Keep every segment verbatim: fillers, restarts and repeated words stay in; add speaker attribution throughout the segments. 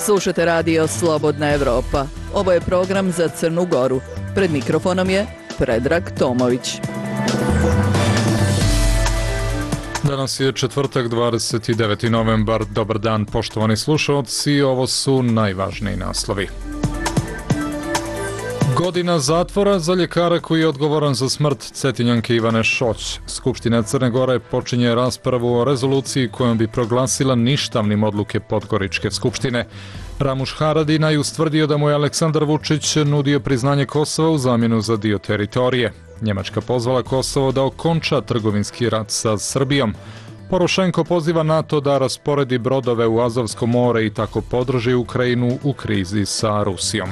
Speaker 1: Slušate radio Slobodna Evropa. Ovo je program za Crnu Goru. Pred mikrofonom je Predrag Tomović.
Speaker 2: Danas je četvrtak, dvadeset deveti novembar. Dobar dan, poštovani slušalci. Ovo su najvažniji naslovi. Godina zatvora za ljekara koji je odgovoran za smrt Cetinjanke Ivane Šoć. Skupština Crne Gore počinje raspravu o rezoluciji kojom bi proglasila ništavnim odluke Podgoričke skupštine. Ramuš Haradinaj ustvrdio da mu je Aleksandar Vučić nudio priznanje Kosova u zamjenu za dio teritorije. Njemačka pozvala Kosovo da okonča trgovinski rat sa Srbijom. Porošenko poziva NATO da rasporedi brodove u Azovsko more i tako podrži Ukrajinu u krizi sa Rusijom.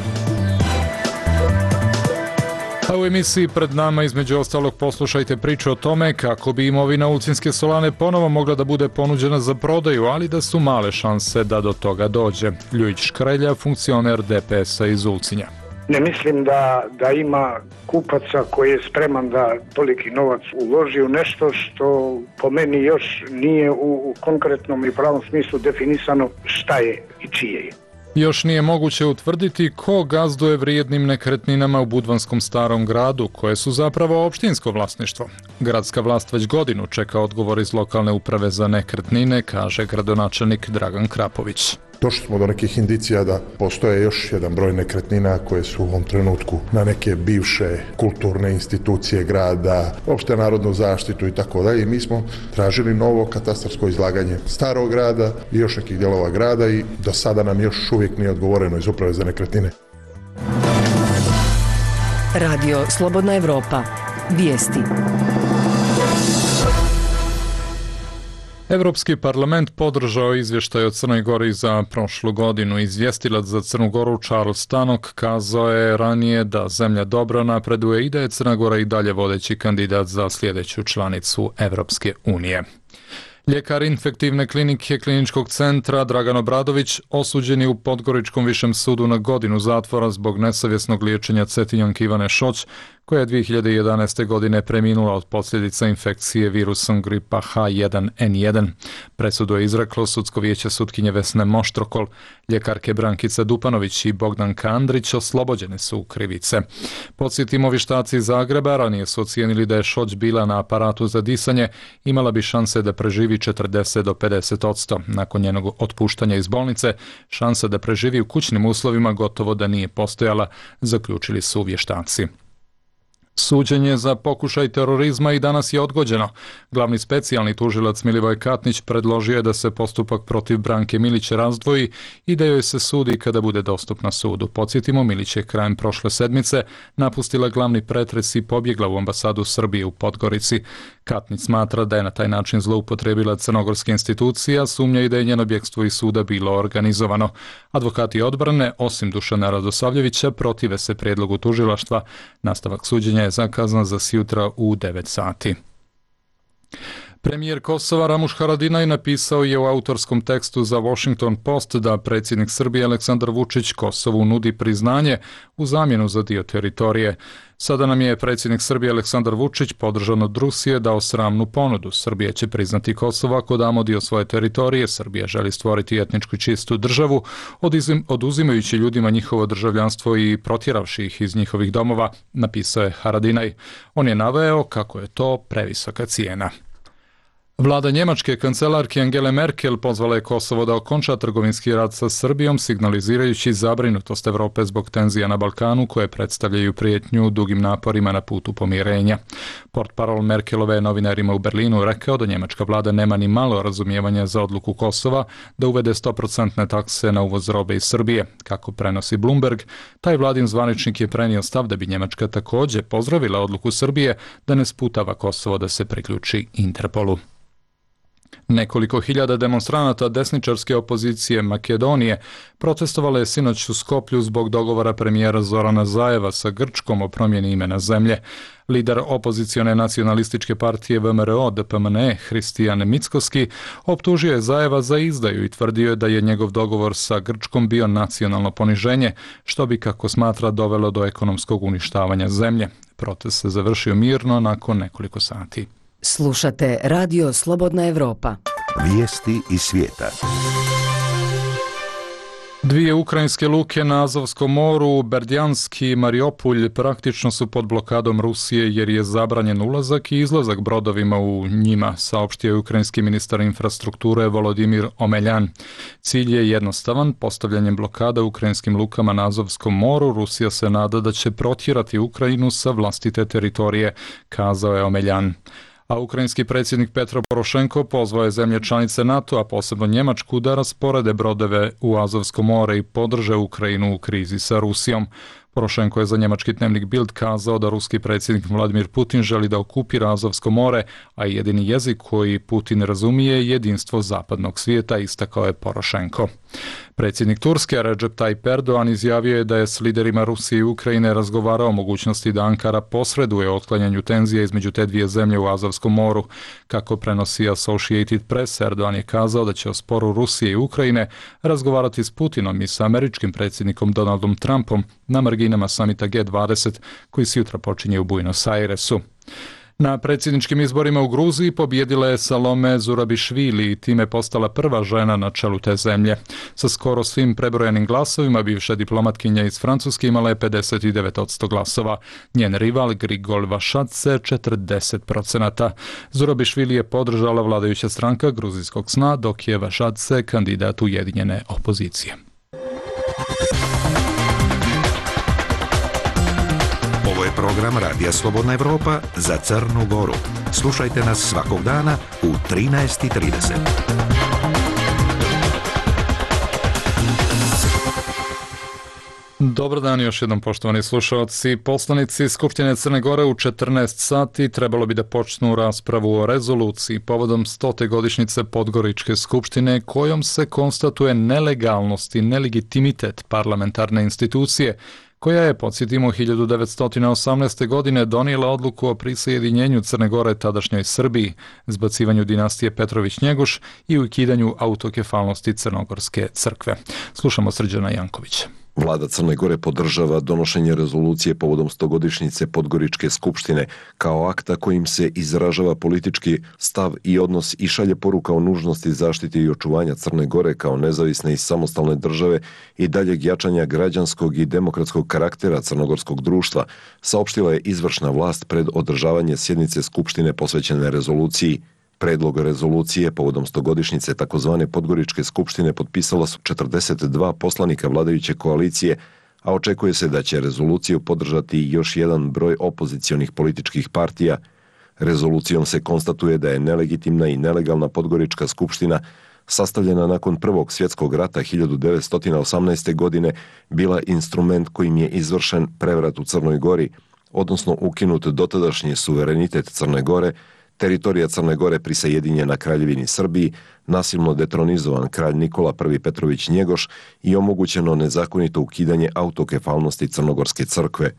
Speaker 2: A u emisiji pred nama između ostalog poslušajte priču o tome kako bi imovina Ulcinske solane ponovo mogla da bude ponuđena za prodaju, ali da su male šanse da do toga dođe. Ljujić Škrelja, funkcioner D P S-a iz Ulcinja.
Speaker 3: Ne mislim da, da ima kupaca koji je spreman da toliki novac uloži u nešto što po meni još nije u, u konkretnom i pravom smislu definisano šta je i čije je.
Speaker 2: Još nije moguće utvrditi ko gazduje vrijednim nekretninama u Budvanskom Starom gradu, koje su zapravo opštinsko vlasništvo. Gradska vlast već godinu čeka odgovor iz lokalne uprave za nekretnine, kaže gradonačelnik Dragan Krapović.
Speaker 4: Došli smo do nekih indicija da postoje još jedan broj nekretnina koje su u ovom trenutku na neke bivše kulturne institucije grada, opšte narodnu zaštitu i tako dalje. I mi smo tražili novo katastarsko izlaganje starog grada i još nekih dijelova grada i do sada nam još uvijek nije odgovoreno iz uprave za nekretnine.
Speaker 5: Radio Slobodna Evropa. Vijesti.
Speaker 2: Evropski parlament podržao izvještaj o Crnoj Gori za prošlu godinu. Izvjestilac za Crnu Goru Charles Tannock kazao je ranije da zemlja dobro napreduje i da je Crna Gora i dalje vodeći kandidat za sljedeću članicu Evropske unije. Ljekar infektivne klinike Kliničkog centra Dragan Obradović osuđen je u Podgoričkom višem sudu na godinu zatvora zbog nesavjesnog liječenja Cetinjanke Ivane Šoć, koja je dvije hiljade jedanaeste. godine preminula od posljedica infekcije virusom gripa H jedan N jedan. Presudu je izreklo sudsko vijeće sutkinje Vesne Moštrokol. Ljekarke Brankica Dupanović i Bogdan Kandrić oslobođene su krivice. Podsjetimo, vještaci iz Zagreba ranije su ocijenili da je Šoć bila na aparatu za disanje, imala bi šanse da preživi četrdeset do pedeset odsto. Nakon njenog otpuštanja iz bolnice, šansa da preživi u kućnim uslovima gotovo da nije postojala, zaključili su vještaci. Suđenje za pokušaj terorizma i danas je odgođeno. Glavni specijalni tužilac Milivoj Katnić predložio je da se postupak protiv Branke Milić razdvoji i da joj se sudi kada bude dostupna sudu. Podsjetimo, Milić je krajem prošle sedmice napustila glavni pretres i pobjegla u ambasadu Srbije u Podgorici. Katnić smatra da je na taj način zloupotrebila crnogorske institucije, a sumnja i da je njeno bjegstvo iz suda bilo organizovano. Advokati odbrane, osim Dušana Radosavljevića, protive se prijedlogu tužilaštva. Nastavak suđenja je zakazan za sjutra u devet sati. Premijer Kosova Ramuš Haradinaj napisao je u autorskom tekstu za Washington Post da predsjednik Srbije Aleksandar Vučić Kosovu nudi priznanje u zamjenu za dio teritorije. Sada nam je predsjednik Srbije Aleksandar Vučić podržan od Rusije dao sramnu ponudu. Srbija će priznati Kosovo ako damo dio svoje teritorije. Srbija želi stvoriti etničku čistu državu, oduzimajući ljudima njihovo državljanstvo i protjeravši ih iz njihovih domova, napisao je Haradinaj. On je naveo kako je to previsoka cijena. Vlada njemačke kancelarke Angele Merkel pozvala je Kosovo da okonča trgovinski rat sa Srbijom, signalizirajući zabrinutost Evrope zbog tenzija na Balkanu koje predstavljaju prijetnju dugim naporima na putu pomirenja. Portparol Merkelove je novinarima u Berlinu rekao da njemačka vlada nema ni malo razumijevanja za odluku Kosova da uvede sto posto takse na uvoz robe iz Srbije. Kako prenosi Bloomberg, taj vladin zvaničnik je prenio stav da bi Njemačka također pozdravila odluku Srbije da ne sputava Kosovo da se priključi Interpolu. Nekoliko hiljada demonstranata desničarske opozicije Makedonije protestovalo je sinoć u Skoplju zbog dogovora premijera Zorana Zajeva sa Grčkom o promjeni imena zemlje. Lider opozicione nacionalističke partije V M R O D P M N E Hristijan Mickoski optužio je Zajeva za izdaju i tvrdio je da je njegov dogovor sa Grčkom bio nacionalno poniženje, što bi, kako smatra, dovelo do ekonomskog uništavanja zemlje. Protest se završio mirno nakon nekoliko sati.
Speaker 5: Slušate Radio Slobodna Evropa.
Speaker 6: Vijesti iz svijeta.
Speaker 2: Dvije ukrajinske luke na Azovskom moru, Berdjansk i Mariupolj, praktično su pod blokadom Rusije jer je zabranjen ulazak i izlazak brodovima u njima, saopštio je ukrajinski ministar infrastrukture Volodimir Omeljan. Cilj je jednostavan, postavljanjem blokada u ukrajinskim lukama na Azovskom moru, Rusija se nada da će protjerati Ukrajinu sa vlastite teritorije, kazao je Omeljan. A ukrajinski predsjednik Petro Porošenko pozvao je zemlje članice NATO, a posebno Njemačku, da rasporede brodove u Azovsko more i podrže Ukrajinu u krizi sa Rusijom. Porošenko je za njemački dnevnik Bild kazao da ruski predsjednik Vladimir Putin želi da okupira Azovsko more, a jedini jezik koji Putin razumije je jedinstvo zapadnog svijeta, istakao je Porošenko. Predsjednik Turske Recep Tayyip Erdogan izjavio je da je s liderima Rusije i Ukrajine razgovarao o mogućnosti da Ankara posreduje u otklanjanju tenzija između te dvije zemlje u Azovskom moru. Kako prenosi Associated Press, Erdogan je kazao da će o sporu Rusije i Ukrajine razgovarati s Putinom i sa američkim predsjednikom Donaldom Trumpom na marginama samita G dvadeset koji se jutra počinje u Buenos Airesu. Na predsjedničkim izborima u Gruziji pobijedila je Salome Zurabišvili i time postala prva žena na čelu te zemlje. Sa skoro svim prebrojenim glasovima bivša diplomatkinja iz Francuske imala je pedeset devet posto glasova. Njen rival Grigol Vašadze četrdeset posto. Zurabišvili je podržala vladajuća stranka Gruzijskog sna, dok je Vašadze kandidat ujedinjene opozicije.
Speaker 6: Ovo je program Radija Slobodna Evropa za Crnu Goru. Slušajte nas svakog dana u trinaest i trideset.
Speaker 2: Dobar dan još jednom, poštovani slušalci. Poslanici Skupštine Crne Gore u četrnaest sati trebalo bi da počnu raspravu o rezoluciji povodom stote godišnjice Podgoričke skupštine kojom se konstatuje nelegalnost i nelegitimitet parlamentarne institucije koja je, podsjetimo, hiljadu devetsto osamnaeste. godine donijela odluku o prisajedinjenju Crne Gore tadašnjoj Srbiji, zbacivanju dinastije Petrović-Njegoš i ukidanju autokefalnosti Crnogorske crkve. Slušamo Srđana Jankovića.
Speaker 7: Vlada Crne Gore podržava donošenje rezolucije povodom stogodišnjice Podgoričke skupštine kao akta kojim se izražava politički stav i odnos i šalje poruka o nužnosti zaštite i očuvanja Crne Gore kao nezavisne i samostalne države i daljeg jačanja građanskog i demokratskog karaktera crnogorskog društva, saopštila je izvršna vlast pred održavanje sjednice skupštine posvećene rezoluciji. Predlog rezolucije povodom stogodišnjice takozvane Podgoričke skupštine potpisala su četrdeset dva poslanika vladajuće koalicije, a očekuje se da će rezoluciju podržati još jedan broj opozicionih političkih partija. Rezolucijom se konstatuje da je nelegitimna i nelegalna Podgorička skupština, sastavljena nakon Prvog svjetskog rata hiljadu devetsto osamnaeste. godine, bila instrument kojim je izvršen prevrat u Crnoj Gori, odnosno ukinut dotadašnji suverenitet Crne Gore, teritorija Crne Gore prisajedinjena Kraljevini Srbiji, nasilno detronizovan kralj Nikola I. Petrović-Njegoš i omogućeno nezakonito ukidanje autokefalnosti Crnogorske crkve.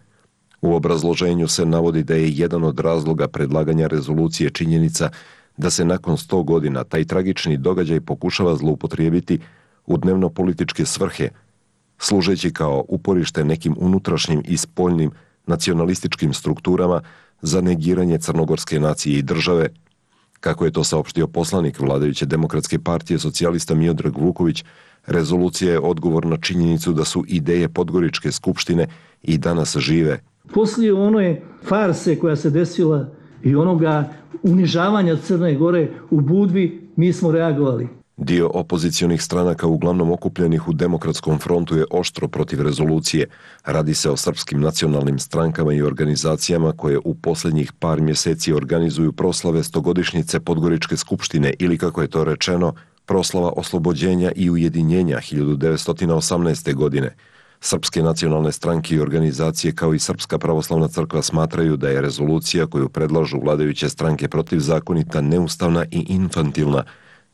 Speaker 7: U obrazloženju se navodi da je jedan od razloga predlaganja rezolucije činjenica da se nakon sto godina taj tragični događaj pokušava zloupotrijebiti u dnevno-političke svrhe, služeći kao uporište nekim unutrašnjim i spoljnim nacionalističkim strukturama za negiranje crnogorske nacije i države. Kako je to saopštio poslanik vladajuće Demokratske partije socijalista Miodrag Vuković, rezolucija je odgovor na činjenicu da su ideje Podgoričke skupštine i danas žive.
Speaker 8: Poslije one farse koja se desila i onoga unižavanja Crne Gore u Budvi, mi smo reagovali.
Speaker 7: Dio opozicionih stranaka uglavnom okupljenih u Demokratskom frontu je oštro protiv rezolucije. Radi se o srpskim nacionalnim strankama i organizacijama koje u posljednjih par mjeseci organizuju proslave stogodišnjice Podgoričke skupštine ili, kako je to rečeno, proslava oslobođenja i ujedinjenja hiljadu devetsto osamnaeste. godine. Srpske nacionalne stranke i organizacije kao i Srpska pravoslavna crkva smatraju da je rezolucija koju predlažu vladajuće stranke protivzakonita, neustavna i infantilna,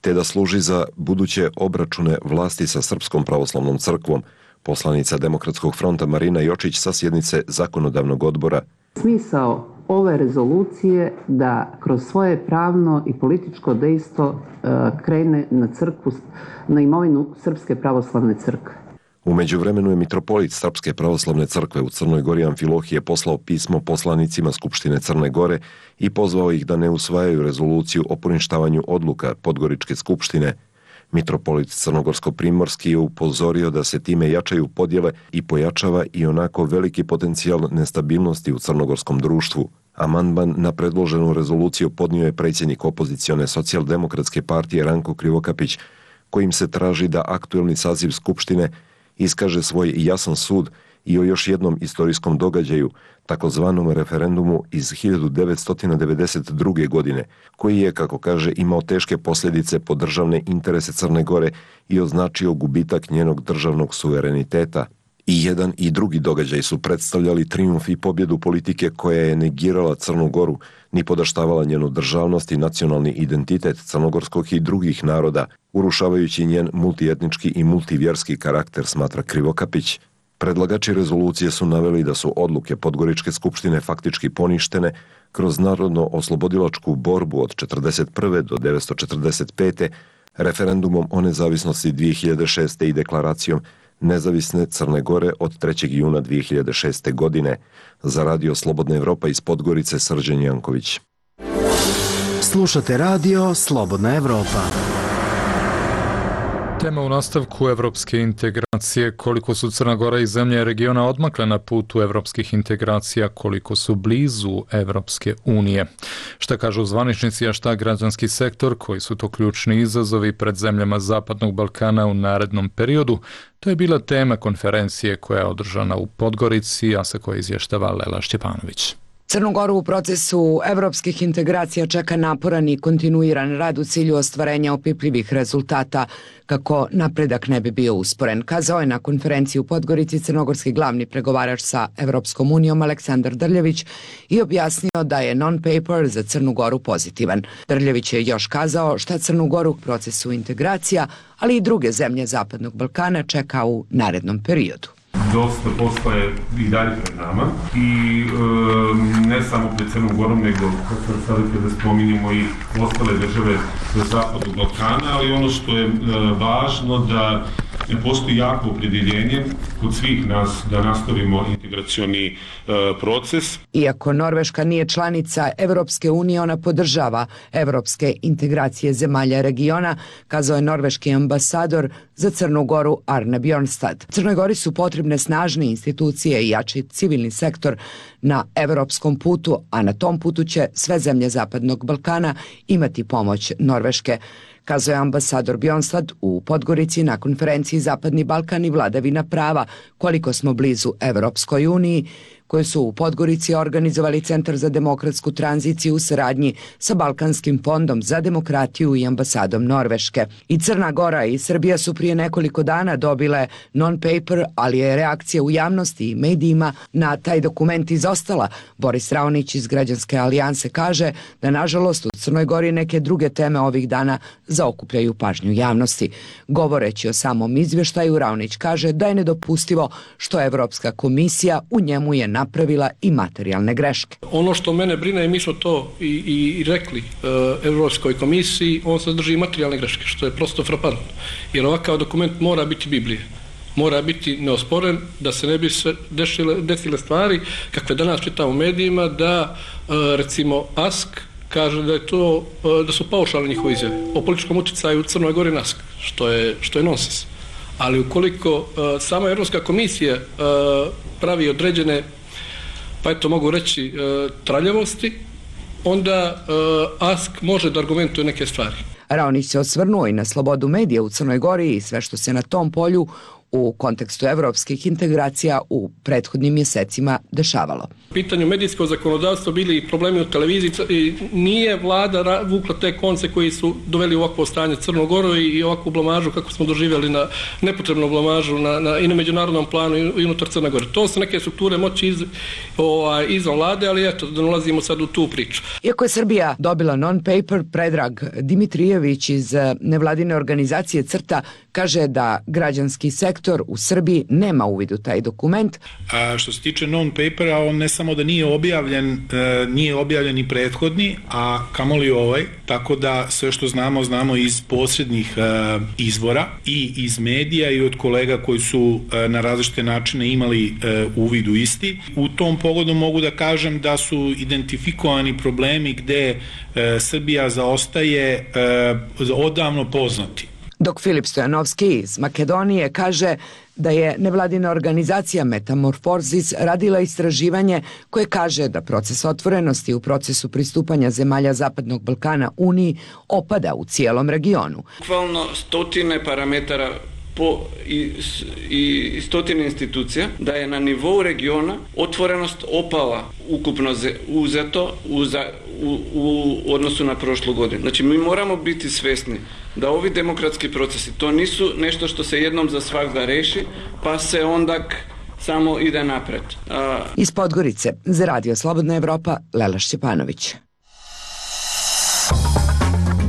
Speaker 7: te da služi za buduće obračune vlasti sa Srpskom pravoslavnom crkvom. Poslanica Demokratskog fronta Marina Jočić sa sjednice Zakonodavnog odbora.
Speaker 9: Smisao ove rezolucije da kroz svoje pravno i političko dejstvo krene na crkvu, na imovinu Srpske pravoslavne crkve.
Speaker 7: U međuvremenu je mitropolit Srpske pravoslavne crkve u Crnoj Gori Amfilohije poslao pismo poslanicima Skupštine Crne Gore i pozvao ih da ne usvajaju rezoluciju o poništavanju odluka Podgoričke skupštine. Mitropolit Crnogorsko-primorski je upozorio da se time jačaju podjele i pojačava i onako veliki potencijal nestabilnosti u crnogorskom društvu. Amandman na predloženu rezoluciju podnio je predsjednik opozicione socijaldemokratske partije Ranko Krivokapić, kojim se traži da aktuelni saziv Skupštine iskaže svoj jasan sud i o još jednom istorijskom događaju, takozvanom referendumu iz hiljadu devetsto devedeset druge. godine, koji je, kako kaže, imao teške posljedice po državne interese Crne Gore i označio gubitak njenog državnog suvereniteta. I jedan i drugi događaj su predstavljali trijumf i pobjedu politike koja je negirala Crnu Goru, ni podaštavala njenu državnost i nacionalni identitet crnogorskog i drugih naroda, urušavajući njen multietnički i multivjerski karakter, smatra Krivokapić. Predlagači rezolucije su naveli da su odluke Podgoričke skupštine faktički poništene kroz narodno-oslobodilačku borbu od četrdeset prve do devetsto četrdeset pete, referendumom o nezavisnosti dvije hiljade šeste. i deklaracijom Nezavisne Crne Gore od trećeg juna dvije hiljade šeste. godine. Za Radio Slobodna Evropa iz Podgorice, Srđan Janković.
Speaker 10: Slušate Radio Slobodna Evropa.
Speaker 2: Tema u nastavku evropske integracije, koliko su Crna Gora i zemlje regiona odmakle na putu evropskih integracija, koliko su blizu Evropske unije. Šta kažu zvaničnici, a šta građanski sektor, koji su to ključni izazovi pred zemljama Zapadnog Balkana u narednom periodu, to je bila tema konferencije koja je održana u Podgorici, a sa koje izvještava Lela Šćepanović.
Speaker 11: Crnu Goru u procesu evropskih integracija čeka naporan i kontinuiran rad u cilju ostvarenja opipljivih rezultata kako napredak ne bi bio usporen, kazao je na konferenciji u Podgorici crnogorski glavni pregovarač sa Evropskom unijom Aleksandar Drljević i objasnio da je non-paper za Crnu Goru pozitivan. Drljević je još kazao šta Crnu Goru u procesu integracija, ali i druge zemlje Zapadnog Balkana čeka u narednom periodu.
Speaker 12: Dosta posla je i dalje pred nama i e, ne samo pred Crnom Gorom, nego sada kada spominjemo i ostale države Zapadnog Balkana, ali ono što je e, važno da postoji jako opredjeljenje kod svih nas da nastavimo integracioni e, proces.
Speaker 11: Iako Norveška nije članica Evropske unije, ona podržava evropske integracije zemalja regiona, kazao je norveški ambasador za Crnu Goru Arne Bjornstad. Crnoj Gori su potrebne snažne institucije i jači civilni sektor na evropskom putu, a na tom putu će sve zemlje Zapadnog Balkana imati pomoć Norveške, kazao je ambasador Bjornstad u Podgorici na konferenciji Zapadni Balkan i vladavina prava, koliko smo blizu Evropskoj uniji, koje su u Podgorici organizovali Centar za demokratsku tranziciju u saradnji sa Balkanskim fondom za demokratiju i ambasadom Norveške. I Crna Gora i Srbija su prije nekoliko dana dobile non-paper, ali je reakcija u javnosti i medijima na taj dokument izostala. Boris Raonić iz Građanske alijanse kaže da nažalost u Crnoj Gori neke druge teme ovih dana zaokupljaju pažnju javnosti. Govoreći o samom izvještaju, Raonić kaže da je nedopustivo što Evropska komisija u njemu je napravila i materijalne greške.
Speaker 13: Ono što mene brine, i mi smo to i, i, i rekli uh, Evropskoj komisiji, on sadrži i materijalne greške, što je prosto frapantno. Jer ovakav dokument mora biti Biblija. Mora biti neosporen, da se ne bi sve desile, desile stvari kakve danas čitamo u medijima, da uh, recimo A S K kaže da je to uh, da su paušalne njihove izjave o političkom utjecaju u Crnoj Gori na A S K, što je, što je nonsens. Ali ukoliko uh, sama Evropska komisija uh, pravi određene, pa eto mogu reći, uh, traljavosti, onda uh, A S K može da argumentuje neke stvari.
Speaker 11: Raonić se osvrnuo i na slobodu medija u Crnoj Gori i sve što se na tom polju u kontekstu evropskih integracija u prethodnim mjesecima dešavalo.
Speaker 13: U pitanju medijskog zakonodavstva bili i problemi u televiziji i nije vlada vukla te konce koji su doveli u ovakvo stanje Crnu Goru i ovakvu blamažu kako smo doživjeli, na nepotrebnu blamažu na, na, i na međunarodnom planu i unutar Crne Gore. To su neke strukture moći iz, o, izvan vlade, ali eto, da nalazimo sad u tu priču.
Speaker 11: Iako je Srbija dobila non-paper, Predrag Dimitrijević iz nevladine organizacije CRTA kaže da građanski sektor u Srbiji nema uvid u taj dokument.
Speaker 14: A što se tiče non-papera, on ne samo da nije objavljen, e, nije objavljen i prethodni, a kamoli ovaj, tako da sve što znamo, znamo iz posrednih e, izvora i iz medija i od kolega koji su e, na različite načine imali e, uvid u isti. U tom pogodu mogu da kažem da su identifikovani problemi gde e, Srbija zaostaje e, odavno poznati.
Speaker 11: Dok Filip Stojanovski iz Makedonije kaže da je nevladina organizacija Metamorfosis radila istraživanje koje kaže da proces otvorenosti u procesu pristupanja zemalja Zapadnog Balkana Uniji opada u cijelom regionu.
Speaker 15: Bukvalno stotine parametara po i, i stotine institucija, da je na nivou regiona otvorenost opala ukupno uzeto u, za, u, u odnosu na prošlu godinu. Znači mi moramo biti svjesni da ovi demokratski procesi, to nisu nešto što se jednom za svakda reši, pa se onda samo ide napred. A...
Speaker 11: Iz Podgorice, za Radio Slobodna Evropa, Lela Šćepanović.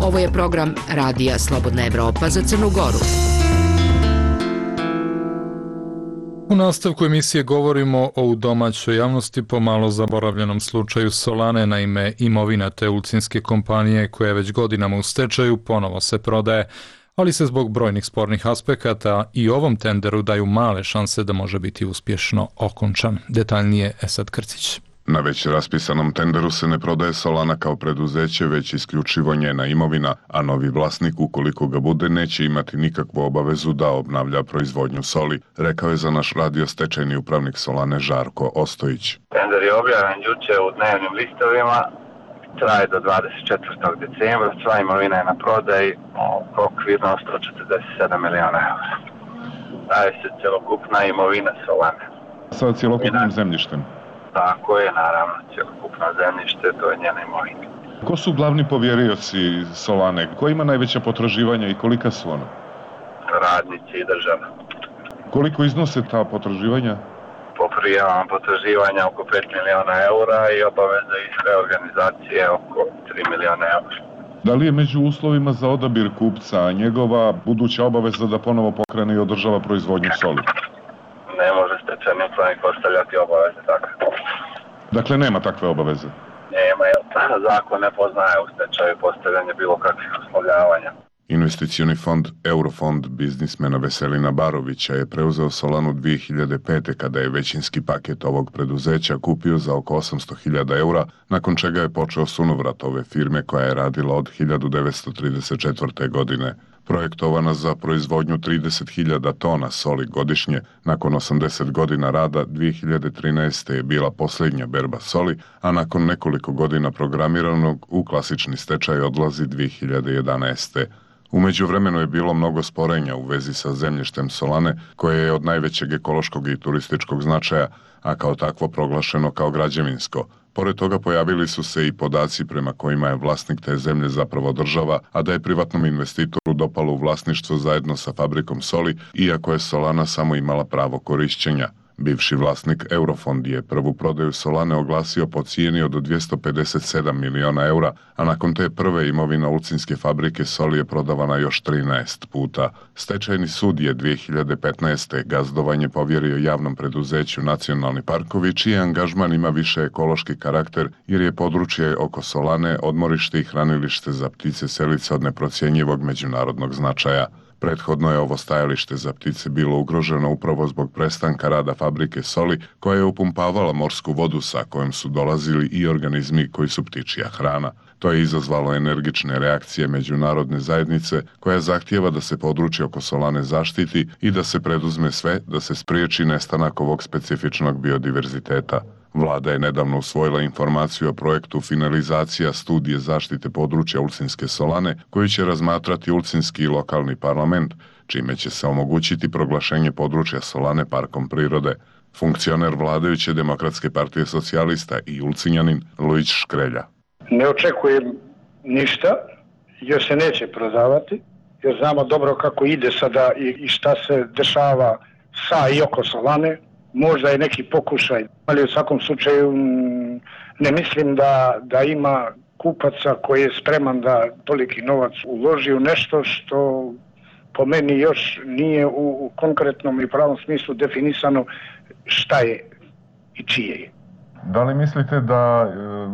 Speaker 5: Ovo je program Radija Slobodna Evropa za Crnu Goru.
Speaker 2: U nastavku emisije govorimo o u domaćoj javnosti pomalo zaboravljenom slučaju Solane. Naime, imovina te ulcinske kompanije koja je već godinama u stečaju ponovo se prodaje, ali se zbog brojnih spornih aspekata i ovom tenderu daju male šanse da može biti uspješno okončan. Detaljnije Esad Krcić.
Speaker 16: Na već raspisanom tenderu se ne prodaje Solana kao preduzeće, već isključivo njena imovina, a novi vlasnik, ukoliko ga bude, neće imati nikakvu obavezu da obnavlja proizvodnju soli, rekao je za naš radio stečajni upravnik Solane Žarko Ostojić.
Speaker 17: Tender je objavljen juče u dnevnim listovima, traje do dvadeset četvrtog decembra, sva imovina je na prodaji, okvirno sto četrdeset sedam miliona eura. Daje se celokupna imovina Solane.
Speaker 16: Sa celokupnim zemljištem?
Speaker 17: Tako je, naravno, celokupno zemljište, to je njena imovina.
Speaker 16: Ko su glavni povjerioci Solane? Ko ima najveća potraživanja i kolika su ona?
Speaker 17: Radnici i država.
Speaker 16: Koliko iznose ta potraživanja?
Speaker 17: Po prijavama potraživanja oko pet miliona eura i obaveze iz sve organizacije oko tri miliona eura.
Speaker 16: Da li je među uslovima za odabir kupca njegova buduća obaveza da ponovo pokrene i održava proizvodnju soli?
Speaker 17: Ne može stečajni upravnik postavljati obaveze takve.
Speaker 16: Dakle, nema takve obaveze?
Speaker 17: Nema, jer zakon ne poznaje u stečaju postavljanje bilo kakvih uslovljavanja.
Speaker 16: Investicioni fond Eurofond biznismena Veselina Barovića je preuzeo Solanu dvije hiljade pete. kada je većinski paket ovog preduzeća kupio za oko osamsto hiljada eura, nakon čega je počeo sunovrat ove firme koja je radila od hiljadu devetsto trideset četvrte. godine. Projektovana za proizvodnju trideset hiljada tona soli godišnje, nakon osamdeset godina rada dvije hiljade trinaeste. je bila posljednja berba soli, a nakon nekoliko godina programiranog u klasični stečaj odlazi dvije hiljade jedanaeste. U međuvremenu je bilo mnogo sporenja u vezi sa zemljištem Solane, koje je od najvećeg ekološkog i turističkog značaja, a kao takvo proglašeno kao građevinsko. Pored toga pojavili su se i podaci prema kojima je vlasnik te zemlje zapravo država, a da je privatnom investitoru dopalo u vlasništvo zajedno sa fabrikom soli, iako je Solana samo imala pravo korišćenja. Bivši vlasnik Eurofond je prvu prodaju Solane oglasio po cijeni od dvjesto pedeset sedam miliona eura, a nakon te prve imovina ulcinske fabrike soli je prodavana još trinaest puta. Stečajni sud je dvije hiljade petnaeste. gazdovanje povjerio javnom preduzeću Nacionalni parkovi, čiji angažman ima više ekološki karakter jer je područje oko Solane odmorište i hranilište za ptice selice od neprocjenjivog međunarodnog značaja. Prethodno je ovo stajalište za ptice bilo ugroženo upravo zbog prestanka rada fabrike soli koja je upumpavala morsku vodu sa kojom su dolazili i organizmi koji su ptičija hrana. To je izazvalo energične reakcije međunarodne zajednice koja zahtijeva da se područje oko Solane zaštiti i da se preduzme sve da se spriječi nestanak ovog specifičnog biodiverziteta. Vlada je nedavno usvojila informaciju o projektu finalizacija studije zaštite područja Ulcinske Solane, koju će razmatrati Ulcinski i lokalni parlament, čime će se omogućiti proglašenje područja Solane parkom prirode. Funkcioner vladajuće Demokratske partije socijalista i Ulcinjanin Lujić Škrelja.
Speaker 3: Ne očekujem ništa, jer se neće prodavati, jer znamo dobro kako ide sada i šta se dešava sa i oko Solane. Možda je neki pokušaj, ali u svakom slučaju ne mislim da, da ima kupaca koji je spreman da toliki novac uloži u nešto što po meni još nije u, u konkretnom i pravom smislu definisano šta je i čije je.
Speaker 16: Da li mislite da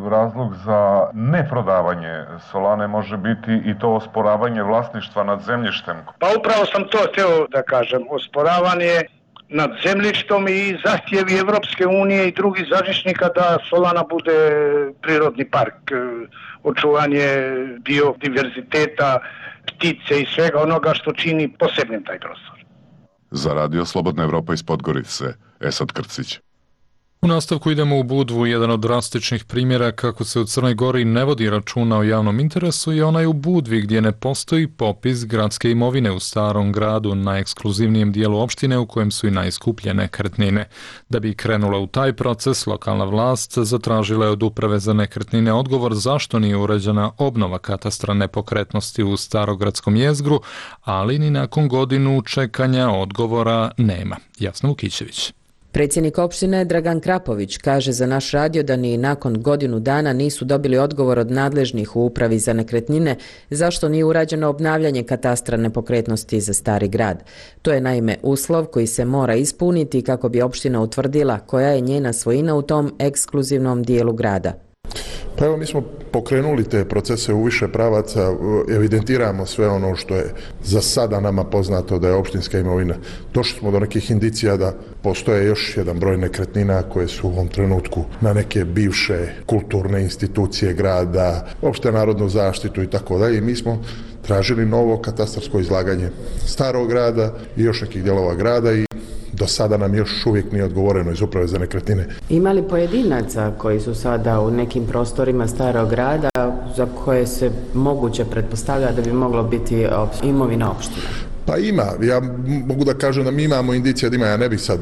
Speaker 16: razlog za neprodavanje Solane može biti i to osporavanje vlasništva nad zemljištem?
Speaker 3: Pa upravo sam to htio da kažem, osporavanje nad zemljištom i zahtjevi Evropske unije i drugih zaštićnika da Solana bude prirodni park, očuvanje biodiverziteta, ptice i svega onoga što čini posebnim taj prostor.
Speaker 16: Za radio Slobodna Evropa iz Podgorice, Esad Krcić.
Speaker 2: U nastavku idemo u Budvu. Jedan od drastičnih primjera kako se u Crnoj Gori ne vodi računa o javnom interesu je onaj u Budvi gdje ne postoji popis gradske imovine u starom gradu na ekskluzivnijem dijelu opštine u kojem su i najskuplje nekretnine. Da bi krenula u taj proces, lokalna vlast zatražila je od Uprave za nekretnine odgovor zašto nije urađena obnova katastra nepokretnosti u starogradskom jezgru, ali ni nakon godinu čekanja odgovora nema. Jasna Vukićević.
Speaker 18: Predsjednik opštine Dragan Krapović kaže za naš radio da ni nakon godinu dana nisu dobili odgovor od nadležnih u Upravi za nekretnine zašto nije urađeno obnavljanje katastra nepokretnosti za stari grad. To je naime uslov koji se mora ispuniti kako bi opština utvrdila koja je njena svojina u tom ekskluzivnom dijelu grada.
Speaker 4: Pa evo, mi smo pokrenuli te procese u više pravaca, evidentiramo sve ono što je za sada nama poznato da je opštinska imovina. Došli smo do nekih indicija da postoje još jedan broj nekretnina koje su u ovom trenutku na neke bivše kulturne institucije grada, opšte narodnu zaštitu i tako dalje. I mi smo tražili novo katastarsko izlaganje starog grada i još nekih dijelova grada i do sada nam još uvijek nije odgovoreno iz Uprave za nekretnine.
Speaker 18: Ima li pojedinaca koji su sada u nekim prostorima starog grada za koje se moguće pretpostavlja da bi moglo biti imovina opštine?
Speaker 4: Pa ima, ja mogu da kažem da mi imamo indicije da ima, ja ne bih sad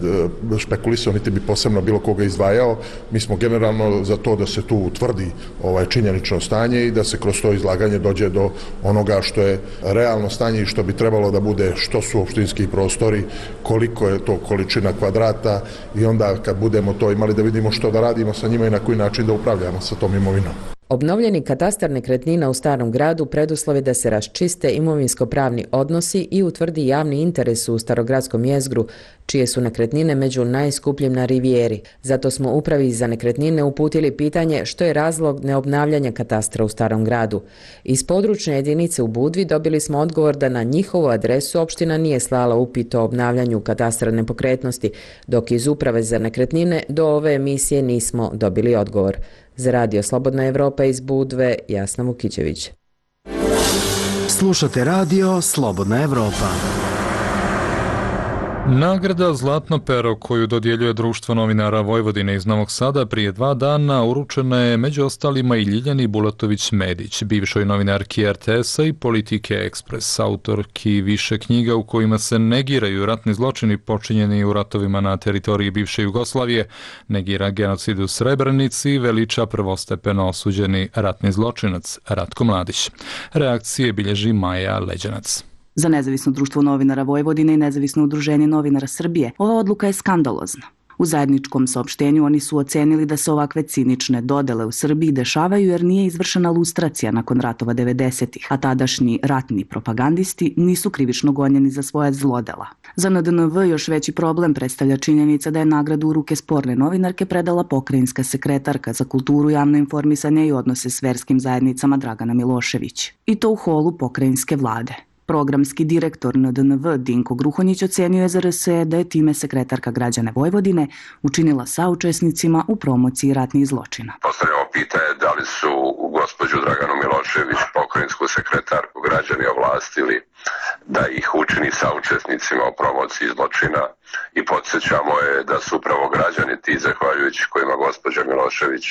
Speaker 4: špekulisao niti bi posebno bilo koga izdvajao, mi smo generalno za to da se tu utvrdi ovaj činjenično stanje i da se kroz to izlaganje dođe do onoga što je realno stanje i što bi trebalo da bude, što su opštinski prostori, koliko je to količina kvadrata i onda kad budemo to imali da vidimo što da radimo sa njima i na koji način da upravljamo sa tom imovinom.
Speaker 18: Obnovljeni katastar nekretnina u starom gradu preduslov je da se raščiste imovinsko-pravni odnosi i utvrdi javni interes u starogradskom jezgru, čije su nekretnine među najskupljim na Rivijeri. Zato smo Upravi za nekretnine uputili pitanje što je razlog neobnavljanja katastra u starom gradu. Iz područne jedinice u Budvi dobili smo odgovor da na njihovu adresu opština nije slala upit o obnavljanju katastra nepokretnosti, dok iz Uprave za nekretnine do ove emisije nismo dobili odgovor. Za radio Slobodna Evropa iz Budve, Jasna Vukićević.
Speaker 10: Slušate radio Slobodna Evropa.
Speaker 2: Nagrada Zlatno pero koju dodjeljuje Društvo novinara Vojvodine iz Novog Sada prije dva dana uručena je među ostalima i Ljiljani Bulatović-Medić, bivšoj novinarki er te esa i Politike Ekspres, autorki više knjiga u kojima se negiraju ratni zločini počinjeni u ratovima na teritoriji bivše Jugoslavije, negira genocid u Srebrenici i veliča prvostepeno osuđeni ratni zločinac Ratko Mladić. Reakcije bilježi Maja Leđanac.
Speaker 19: Za Nezavisno društvo novinara Vojvodine i Nezavisno udruženje novinara Srbije ova odluka je skandalozna. U zajedničkom saopštenju oni su ocenili da se ovakve cinične dodele u Srbiji dešavaju jer nije izvršena lustracija nakon ratova devedesetih, a tadašnji ratni propagandisti nisu krivično gonjeni za svoje zlodela. Za en de en ve još veći problem predstavlja činjenica da je nagradu u ruke sporne novinarke predala pokrajinska sekretarka za kulturu, javno informisanje i odnose s verskim zajednicama Dragana Milošević. I to u holu pokrajinske vlade. Programski direktor en de en ve Dinko Gruhonjić ocenio je za er es e da je time sekretarka građane Vojvodine učinila saučesnicima u promociji ratnih zločina.
Speaker 20: Postavljamo pitanje da li su gospođu Draganu Milošević, pokrajinsku sekretarku, građani ovlastili da ih učini saučesnicima u promociji zločina i podsjećamo je da su upravo građani ti zahvaljujući kojima gospođa Milošević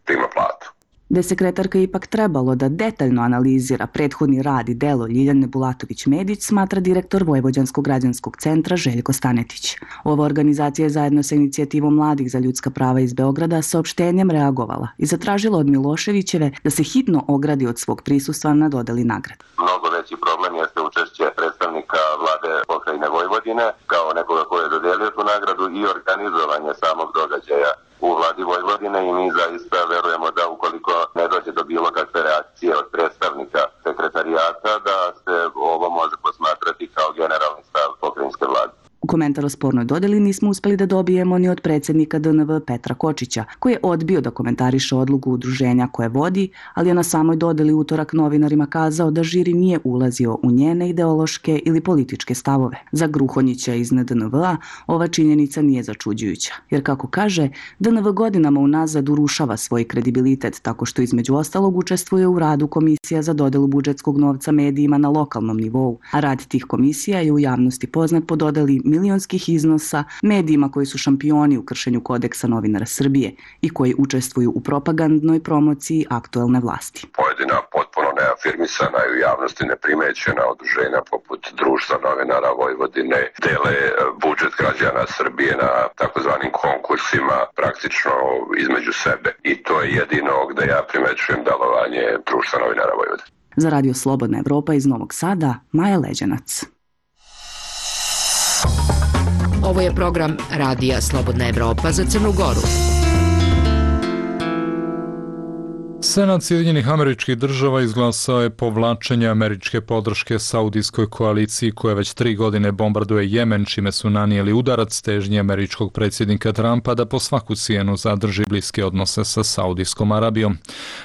Speaker 20: prima platu.
Speaker 19: Da je sekretarka ipak trebalo da detaljno analizira prethodni rad i delo Ljiljane Bulatović-Medić, smatra direktor Vojvođanskog građanskog centra Željko Stanetić. Ova organizacija je zajedno sa inicijativom Mladih za ljudska prava iz Beograda saopštenjem reagovala i zatražila od Miloševićeve da se hitno ogradi od svog prisustva na dodeli nagrade.
Speaker 20: Mnogo veći problem jeste učešće predstavnika vlade pokrajine Vojvodine kao nekoga ko je dodelio tu nagradu i organizovanje samog događaja u vladi Vojvodine i mi zaista verujemo da ukoliko ne dođe do bilo kakve reakcije od predstavnika sekretarijata da se ovo može posmatrati kao generalni stav pokrajinske vlade.
Speaker 19: Komentar o spornoj dodeli nismo uspeli da dobijemo ni od predsjednika D N V Petra Kočića, koji je odbio da komentariše odluku udruženja koje vodi, ali je na samoj dodeli utorak novinarima kazao da žiri nije ulazio u njene ideološke ili političke stavove. Za Gruhonjića iz N D N V-a ova činjenica nije začuđujuća, jer kako kaže, D N V godinama unazad urušava svoj kredibilitet tako što između ostalog učestvuje u radu komisija za dodelu budžetskog novca medijima na lokalnom nivou, a rad tih komisija je u javnosti poznat po dodeli milionskih iznosa medijima koji su šampioni u kršenju kodeksa novinara Srbije i koji učestvuju u propagandnoj promociji aktuelne vlasti.
Speaker 20: Pojedina potpuno neafirmisana i u javnosti neprimećena udruženja poput Društva novinara Vojvodine dele budžet građana Srbije na takozvanim konkursima praktično između sebe. I to je jedino gde ja primećujem delovanje Društva novinara Vojvodine.
Speaker 19: Za Radio Slobodna Evropa iz Novog Sada, Maja Leđanac.
Speaker 5: Ovo je program Radija Slobodna Evropa za Crnu Goru.
Speaker 2: Senat Sjedinjenih Američkih Država izglasao je povlačenje američke podrške Saudijskoj koaliciji koja već tri godine bombarduje Jemen, čime su nanijeli udarac težnji američkog predsjednika Trumpa da po svaku cijenu zadrži bliske odnose sa Saudijskom Arabijom.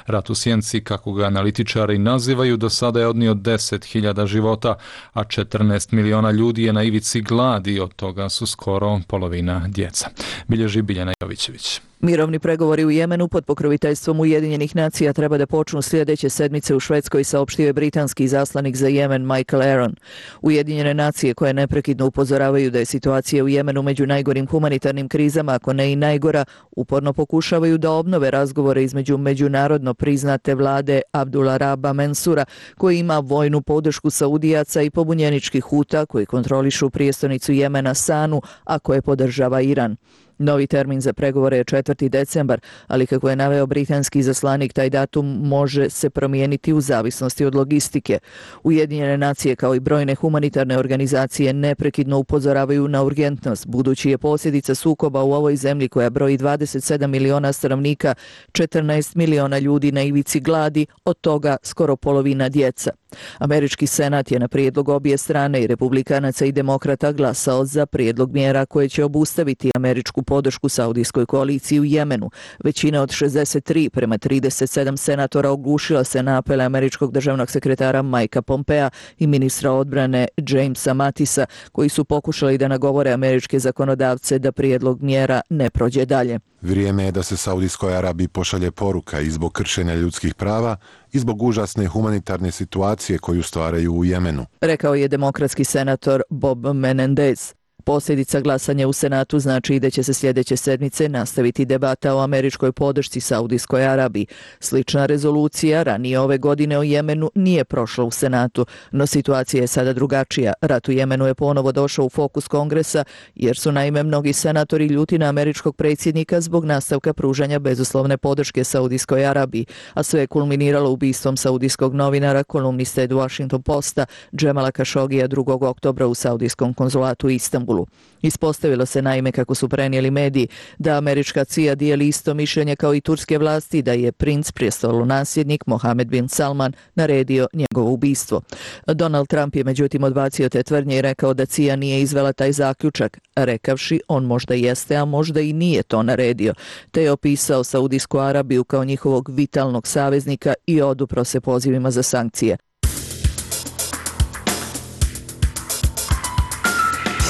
Speaker 2: Rat u sjenci, kako ga analitičari nazivaju, do sada je odnio deset hiljada života, a četrnaest miliona ljudi je na ivici gladi, od toga su skoro polovina djeca. Bilježi Biljana Jovićević.
Speaker 1: Mirovni pregovori u Jemenu pod pokroviteljstvom Ujedinjenih nacija treba da počnu sljedeće sedmice u Švedskoj, saopštio je britanski izaslanik za Jemen Michael Aaron. Ujedinjene nacije koje neprekidno upozoravaju da je situacija u Jemenu među najgorim humanitarnim krizama, ako ne i najgora, uporno pokušavaju da obnove razgovore između međunarodno priznate vlade Abdullah Raba Mensura, koji ima vojnu podršku Saudijaca, i pobunjeničkih Huta koji kontrolišu prijestolnicu Jemena Sanu, a koje podržava Iran. Novi termin za pregovore je četvrti decembar, ali kako je naveo britanski izaslanik, taj datum može se promijeniti u zavisnosti od logistike. Ujedinjene nacije kao i brojne humanitarne organizacije neprekidno upozoravaju na urgentnost, budući je posljedica sukoba u ovoj zemlji koja broji dvadeset sedam miliona stanovnika, četrnaest miliona ljudi na ivici gladi, od toga skoro polovina djeca. Američki senat je na prijedlog obje strane, i republikanaca i demokrata, glasao za prijedlog mjera koje će obustaviti američku podršku Saudijskoj koaliciji u Jemenu. Većina od šezdeset tri prema trideset sedam senatora oglušila se na apele američkog državnog sekretara Mikea Pompea i ministra odbrane Jamesa Mattisa, koji su pokušali da nagovore američke zakonodavce da prijedlog mjera ne prođe dalje.
Speaker 21: Vrijeme je da se Saudijskoj Arabiji pošalje poruka i zbog kršenja ljudskih prava i zbog užasne humanitarne situacije koju stvaraju u Jemenu,
Speaker 1: rekao je demokratski senator Bob Menendez. Posljedica glasanja u Senatu znači da će se sljedeće sedmice nastaviti debata o američkoj podršci Saudijskoj Arabiji. Slična rezolucija ranije ove godine o Jemenu nije prošla u Senatu, no situacija je sada drugačija. Rat u Jemenu je ponovo došao u fokus Kongresa, jer su naime mnogi senatori ljuti na američkog predsjednika zbog nastavka pružanja bezuslovne podrške Saudijskoj Arabiji, a sve je kulminiralo ubistvom saudijskog novinara, kolumniste Washington Posta, Džemala Kašogija drugog oktobra u saudijskom konzulatu u Istanbulu. Ispostavilo se naime, kako su prenijeli mediji, da američka C I A dijeli isto mišljenje kao i turske vlasti da je princ prestolonasljednik Mohamed bin Salman naredio njegovo ubistvo. Donald Trump je međutim odbacio te tvrdnje i rekao da C I A nije izvela taj zaključak, rekavši on možda jeste, a možda i nije to naredio, te je opisao Saudijsku Arabiju kao njihovog vitalnog saveznika i odupro se pozivima za sankcije.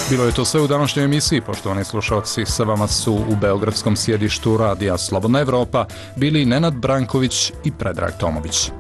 Speaker 2: Bilo je to sve u današnjoj emisiji. Poštovani slušalci, sa vama su u beogradskom sjedištu Radija Slobodna Evropa bili Nenad Branković i Predrag Tomović.